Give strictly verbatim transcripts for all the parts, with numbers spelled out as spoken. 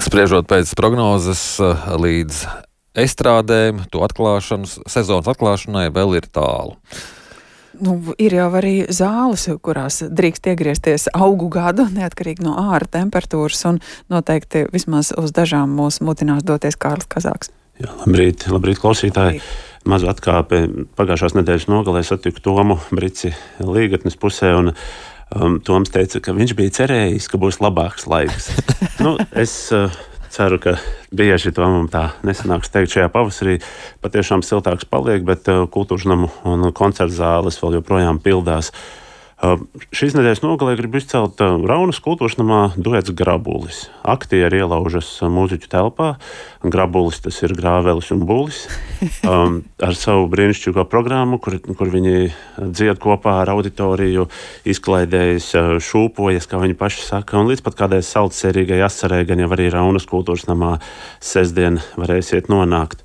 Spriežot pēc prognozes līdz estrādēm, to atklāšanas, sezonas atklāšanai vēl ir tālu. Nu, ir jau arī zāles, kurās drīkst iegriezties augu gadu, neatkarīgi no āra temperatūras, un noteikti vismaz uz dažām mūs mutinās doties Kārlis Kazāks. Jā, labrīt, labrīt klausītāji. Mazu atkāpi pagājušās nedēļas nogalē satiku Tomu Brici Līgatnes pusē, un um, Toms teica, ka viņš bija cerējis, ka būs labāks laiks. nu, es uh, ceru, ka bieži Tomam tā nesanāks teikt šajā pavasarī. Patiešām siltāks paliek, bet uh, kultūras namu un koncertu zāles vēl joprojām pildās. Uh, šīs nedēļas nogalē grib izcelt uh, Raunas kultūras namā duets Grabulis. Aktieri ielaužas uh, mūziķu telpā. Grabulis tas ir Grāvelis un Bulis. Um, ar savu brīnišķīgo programmu, kur, kur viņi dzied kopā ar auditoriju, izklaidējas, uh, šūpojas, kā viņi paši saka, un līdz pat kādai saldsērīgai asarei, gan jau arī Raunas kultūras namā sestdien varēsiet nonākt.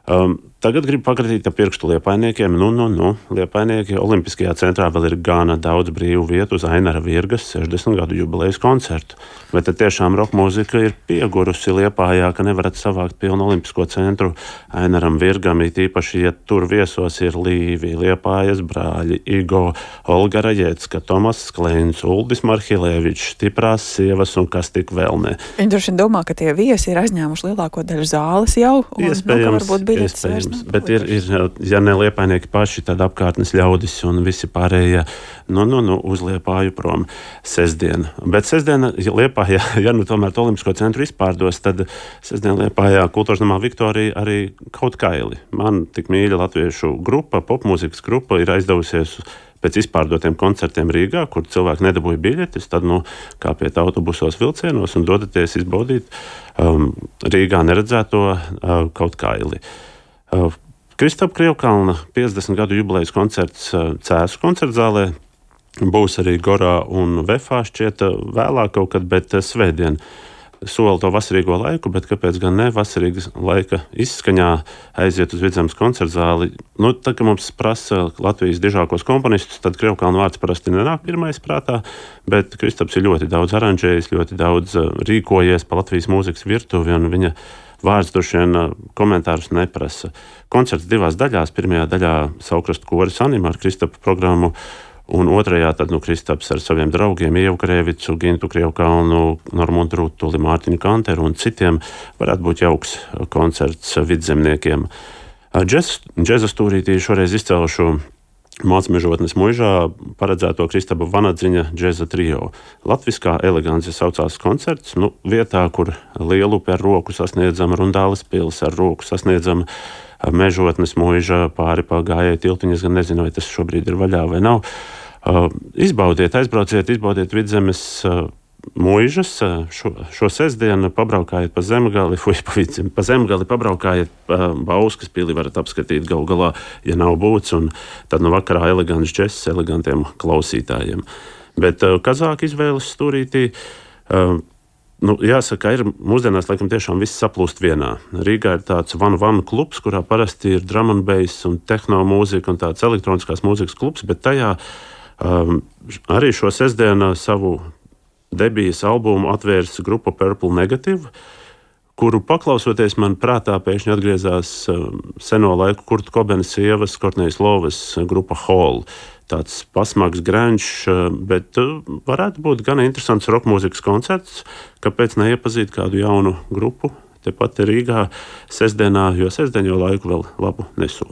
Um, Tagad gribu pakratīt ar pirkstu liepainiekiem. Nu, nu, nu, liepainieki Olimpiskajā centrā vēl ir gana daudz brīvu vietu uz Ainara Virgas sešdesmit gadu jubilejas koncertu. Vai tad tiešām roka mūzika ir piegurusi Liepājā, ka nevarat savākt pilnu Olimpisko centru Ainaram Virgam, it īpaši, ja tur viesos ir Līvi, Liepājas brāļi, Igo, Olga Rajecka, Tomas Skleins, Uldis Marhilēvičs, stiprās sievas un kas tik vēl ne. Viņi droši vien domā, ka tie viesi ir aizņēmuši lielāko daļu zāles jau, un iespējams, nu, varbūt biļetes vairs. Bet ir, ir, ja ne liepainieki paši, tad apkārtnes ļaudis un visi pārējie nu, nu, nu, uz Liepāju prom sestdien. Bet sestdiena Liepājā, ja nu tomēr to Olimpisko centru izpārdos, tad sestdien Liepājā kultūras namā Viktorija arī kaut kaili. Man tik mīļa latviešu grupa, popmūzikas grupa ir aizdevusies pēc izpārdotiem koncertiem Rīgā, kur cilvēki nedabūja biļetes, tad nu, kāpiet autobusos vilcienos un dodaties izbaudīt um, Rīgā neredzēto uh, kaut kaili. Uh, Kristapa Krievkalna piecdesmit gadu jubilejas koncerts uh, Cēsu koncertzālē. Būs arī Gorā un Vefā šķiet uh, vēlāk kaut kad, bet uh, svētdien sola to vasarīgo laiku, bet kāpēc gan ne vasarīgas laika izskaņā aiziet uz Vidzemes koncertzāli. Nu, tā kā mums prasa Latvijas dižākos komponistus, tad Krievkalna vārds parasti nenāk pirmais prātā, bet Kristaps ir ļoti daudz aranžējis, ļoti daudz uh, rīkojies pa Latvijas mūzikas virtuvi, un viņa vārds droši vien komentārus neprasa. Koncerts divās daļās. Pirmajā daļā Saukrastu koris Anima ar Kristapa programmu, un otrajā tad nu, Kristaps ar saviem draugiem Ievu Krēvicu, Gintu Krievkalnu, Normundu Rutuli, Mārtiņu Kanteru un citiem varētu būt jauks koncerts vidzemniekiem. Džeza stūrītī šoreiz izcelšu Mācmežotnes muižā paredzēto Kristapa Vanadziņa džeza trio. Latviskā elegance saucās koncerts, nu, vietā, kur Lielupe ar roku sasniedzama, Rundāles pils ar roku sasniedzama, Mežotnes muiža pāri pa gājēju tiltiņas, gan nezinu, vai tas šobrīd ir vaļā vai nav. Uh, izbaudiet, aizbrauciet, izbaudiet Vidzemes uh, muižas, šo, šo sestdienu pabraukājiet pa Zemgali, fuj, pa Vidzemi, pa Zemgali pabraukājiet pa Bauskas pili, varat apskatīt gal galā, ja nav būts, un tad no vakarā elegants džess elegantiem klausītājiem. Bet uh, Kazāka izvēles stūrītī, uh, nu, jāsaka, ir mūsdienās laikam tiešām viss saplūst vienā. Rīgā ir tāds One One klubs, kurā parasti ir drum and bass un tehno mūzika un tāds elektroniskās mūzikas klubs, bet tajā um, arī šo sestdienu savu debijas albumu atvērs grupa Purple Negative, kuru paklausoties man prātā pēkšņi atgriezās um, seno laiku Kurta Kobena sievas, Kortnejas Lovas grupa Hall. Tāds pasmags grunge, uh, bet uh, varētu būt gan interesants rock mūzikas koncerts, kāpēc neiepazīt kādu jaunu grupu tepat Rīgā sestdienā, jo sestdien jau laiku vēl labu nesola.